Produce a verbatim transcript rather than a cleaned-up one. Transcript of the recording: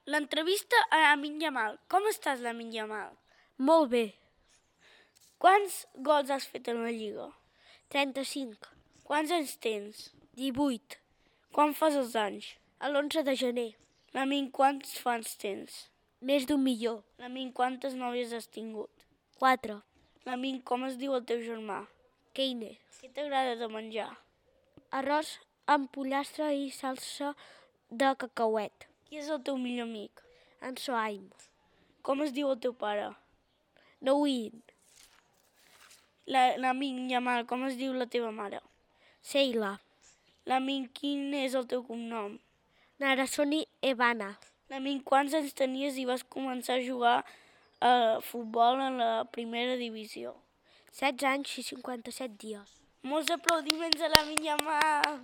L'entrevista a Lamine Yamal. Com estàs, Lamine Yamal? Molt bé. Quants gols has fet en la Lliga? trenta-cinc. Quants anys tens? divuit. Quan fas els anys? A l'onze de gener. Lamine, quants fans tens? Més d'un milió. Lamine, quantes nòvies has tingut? Quatre. Lamine, com es diu el teu germà? Keine. Què t'agrada de menjar? Arròs amb pollastre i salsa de cacauet. Qui és el teu millor amic? En Sohaim. Com es diu el teu pare? Nouin. Lamine Yamal, com es diu la teva mare? Seila. Lamine, quin és el teu cognom? Narasoni Evana. Lamine, quants anys tenies i vas començar a jugar a futbol en la primera divisió? setze anys i cinquanta-set dies. Molts aplaudiments a Lamine Yamal!